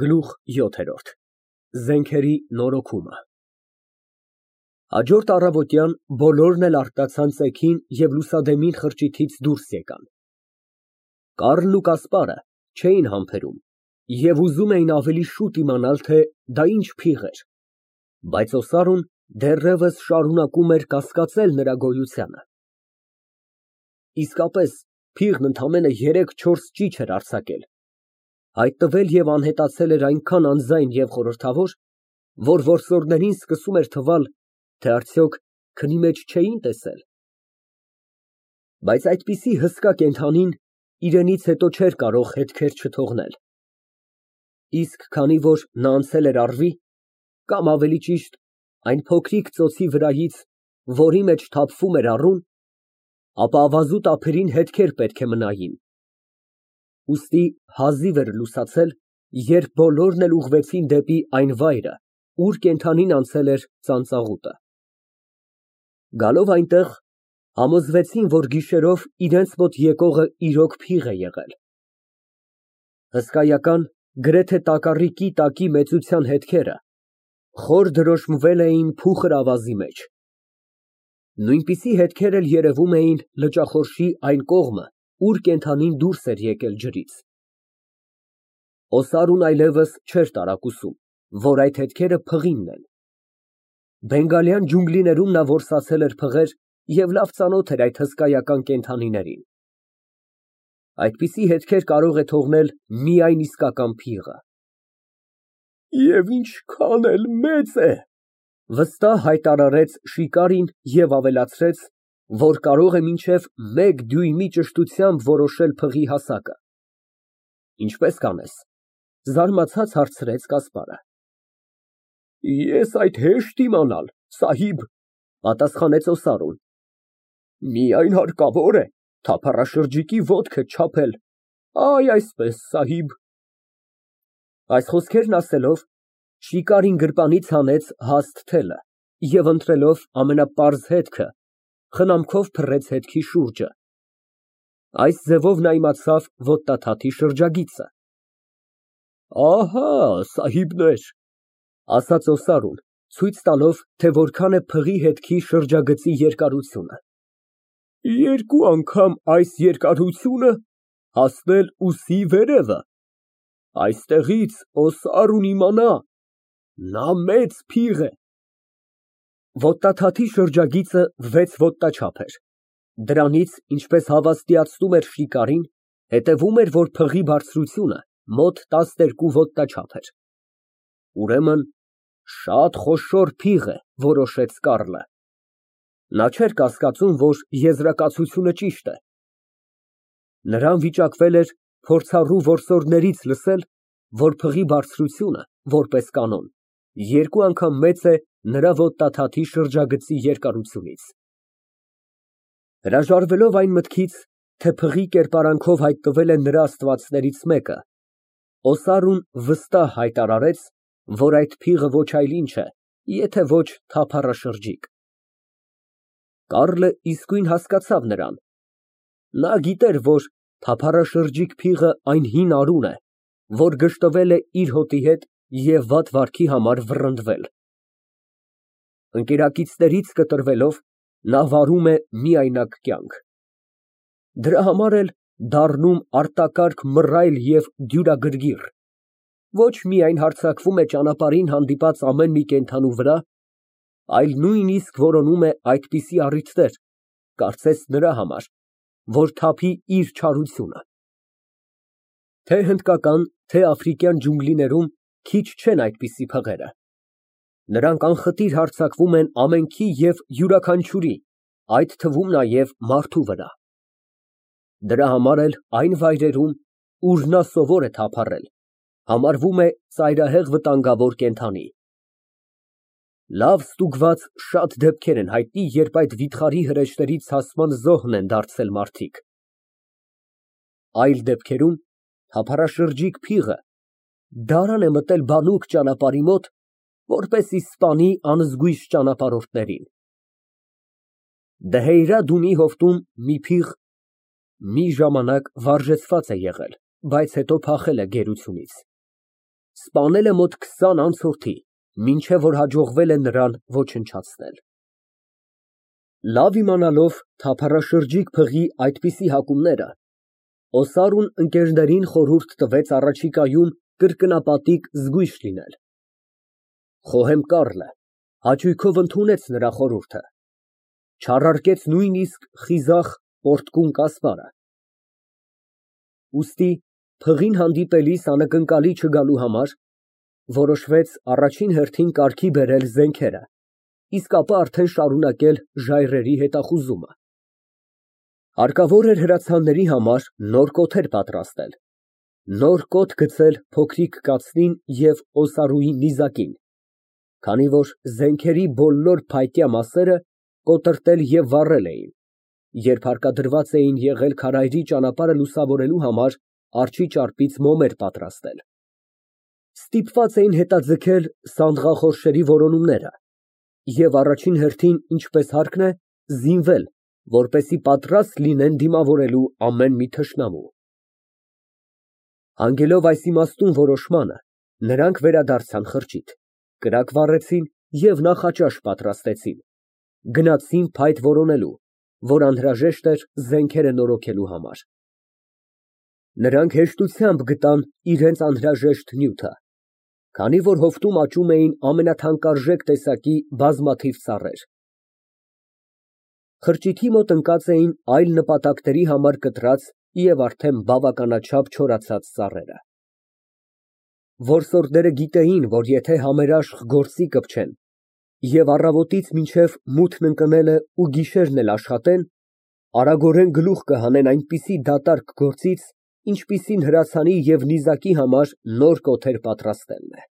Գլուխ ՅՈԹԵՐՈՐԴ Զենքերի նորոգումը Հաջորդ առավոտյան բոլորն էլ արթնացան ծեքին և լուսադեմին խրճիթից դուրս եկան։ Կառլն ու Կասպարը չէին համբերում և ուզում էին ավելի շուտ իմանալ, թե դա ինչ փիղ էր, բայց Օսարուն դեռևս շարունակում էր կասկածել նրա գոյությանը։ Իսկապես փիղն ընդամենը 3-4 ճիչ էր արձակել, հայտնվել և անհետացել էր այնքան անձայն և խորհրդավոր, որ որսորդներին սկսում էր թվալ, թե արդյոք քնի մեջ չէին տեսել։ Բայց այդպիսի հսկա կենդանին իրենից հետո չէր կարող հետքեր չթողնել, իսկ քանի որ նա անցել էր առվի, կամ ավելի ճիշտ այն փոքրիկ ծոցի վրայից, որի մեջ թափվում էր առուն, ապա ավազուտ ափերին հետքեր պետք է մնային։ Ուստի հազիվ էր լուսացել, երբ բոլորն էլ ուղղվեցին դեպի այն վայրը, ուր կենդանին անցել էր ծանծաղուտը։ Գալով այնտեղ, համոզվեցին, որ գիշերով իրենց մոտ եկողը իրոք փիղ է եղել։ Հսկայական, գրեթե տակառիկի տակի մեծության հետքերը խոր դրոշմվել էին փուխր ավազի մեջ։ Նույնպիսի հետքեր էլ երևում էին լճախորշի այն կողմը, ուր կենդանին դուրս էր եկել ջրից։ Օսարուն այլևս չէր տարակուսում, որ այդ հետքերը փղինն են։ Բենգալյան ջունգլիներում նա որսացել էր փղեր և լավ ծանոթ էր այդ հսկայական կենդանիներին։ Այդպիսի հետքեր կարող է թողնել միայն իսկական փիղը։ Եվ ինչքան էլ մեծ է, վստահ հայտարարեց Շիկարին և ավելացրեց, որ կարող է մինչև 1 դյույմի ճշտությամբ որոշել փղի հասակը։ Ինչպե՞ս կանես, զարմացած հարցրեց Կասպարը։ Ես այդ հեշտ իմանալ, սահիբ, պատասխանեց Օսարուն։ Միայն հարկավոր է թափառաշրջիկի ոտքը չափել, այ այսպես, սահիբ։ Այս խոսքերն ասելով, Շիկարին գրպանից հանեց հաստ թելը և ընտրելով ամենապարզ հետքը, խնամքով փռեց հետքի շուրջը։ Այս ձևով նա իմացավ ոտնաթաթի շրջագիծը։ Ահա, սահիբներ, ասաց Օսարուն, ցույց տալով, թե որքան է փղի հետքի շրջագծի երկարությունը։ 2 անգամ այս երկարությունը հասնել ուսի վերևը։ Այստեղից Օսարուն իմանա, նա մեծ փիղ է։ Ոտնաթաթի շրջագիծը 6 ոտնաչափ էր։ Դրանից, ինչպես հավաստիացնում էր Շիկարին, հետևում էր, որ փղի բարձրությունը մոտ 12 ոտնաչափ էր։ Ուրեմն շատ խոշոր փիղ է, որոշեց Կառլը։ Նա չէր կասկածում, որ եզրակացությունը ճիշտ է։ Նրան վիճակվել էր փորձառու որսորդներից լսել, որ փղի բարձրությունը, որպես կանոն, 2 անգամ մեծ է նրա ոտնաթաթի շրջագծի երկարությունից։ Հրաժարվելով այն մտքից, թե փղի կերպարանքով հայտնվել է նրա աստվածներից մեկը, Օսարուն վստահ հայտարարեց, որ այդ փիղը ոչ այլ ինչ է, եթե ոչ թափառաշրջիկ։ Կառլը իսկույն հասկացավ նրան։ Նա գիտեր, որ թափառաշրջիկ փիղը այն հին արուն է, որ գժտվել է իր հոտի հետ և վատ վարքի համար վռնդվել։ Ընկերակիցներից կտրվելով, նա վարում է միայնակ կյանք։ Դրա համար էլ դառնում արտակարգ մռայլ և դյուրագրգիռ, ոչ միայն հարձակվում է ճանապարհին հանդիպած ամեն մի կենդանու վրա, այլ նույնիսկ որոնում է այդպիսի առիթներ, կարծես նրա համար, որ թափի իր չարությունը։ Թե հնդկական, թե աֆրիկյան ջունգլիներում քիչ չեն այդպիսի փղերը։ Նրանք անխտիր հարձակվում են ամենքի և յուրաքանչյուրի, այդ թվում նաև մարդու վրա։ Դրա համար էլ այն վայրերում, ուր նա սովոր է թափառել, համարվում է ծայրահեղ վտանգավոր կենդանի։ Լավ ստուգված շատ դեպքեր են հայտնի, երբ այդ վիթխարի հրեշների ցասման զոհն են դարձել մարդիկ։ Այլ դեպքերում թափառաշրջիկ փիղը դարան է մտել բանուկ ճանապարհի մոտ, որպեսզի սպանի անզգույշ ճանապարհորդներին։ Դհեյրադունի հովտում մի փիղ մի ժամանակ վարժեցված է եղել, բայց հետո փախել է գերությունից։ Սպանել է մոտ 20 անցորդի, մինչև որ հաջողվել է նրան ոչնչացնել։ Լավ իմանալով թափառաշրջիկ փղի այդպիսի հակումները, Օսարուն ընկերներին խորհուրդ տվեց առաջիկայում կրկնապատիկ զգույշ լինել։ Խոհեմ Կառլը հաճույքով ընդունեց նրա խորհուրդը, չառարկեց նույնիսկ խիզախ պորտկուն կասպարը։ Ուստի փղին հանդիպելիս անակնկալի չգալու համար որոշվեց առաջին հերթին կարգի բերել զենքերը, իսկ ապա արդեն շարունակել ժայռերի հետախուզումը։ Հարկավոր էր հրացանների համար նոր կոթեր պատրաստել, նոր կոթ գցել փոքրիկ կացնին և Օսարուի նիզակին, քանի որ զենքերի բոլոր փայտյա մասերը կոտրտել և վառել էին, երբ հարկադրված էին եղել քարայրի ճանապարհը լուսավորելու համար արջի ճարպից մոմեր պատրաստել։ Ստիպված էին հետաձգել սանդղախորշերի որոնումները և առաջին հերթին, ինչպես հարկն է, զինվել, որպեսզի պատրաստ լինեն դիմավորելու ամեն մի թշնամու։ Հանգելով այս իմաստուն որոշմանը, նրանք վերադարձան խրճիթ, կրակ վառեցին և նախաճաշ պատրաստեցին, գնացին փայտ որոնելու, որ անհրաժեշտ էր զենքերը նորոգելու համար։ Նրանք հեշտությամբ գտան իրենց անհրաժեշտ նյութը, քանի որ հովտում աճում էին ամենաթանկարժեք տեսակի բազմաթիվ ծառեր։ Խրճիթի մոտ ընկած էին այլ նպատակների համար կտրած և արդեն բավականաչափ չորացած ծառերը։ Որսորդները գիտեին, որ եթե համերաշխ գործի կպչեն և առավոտից մինչև մութն ընկնելը ու գիշերն էլ աշխատեն, արագորեն գլուխ կհանեն այնպիսի դատարկ գործից, ինչպիսին հրացանի և նիզակի համար նոր կոթեր պատրաստելն է։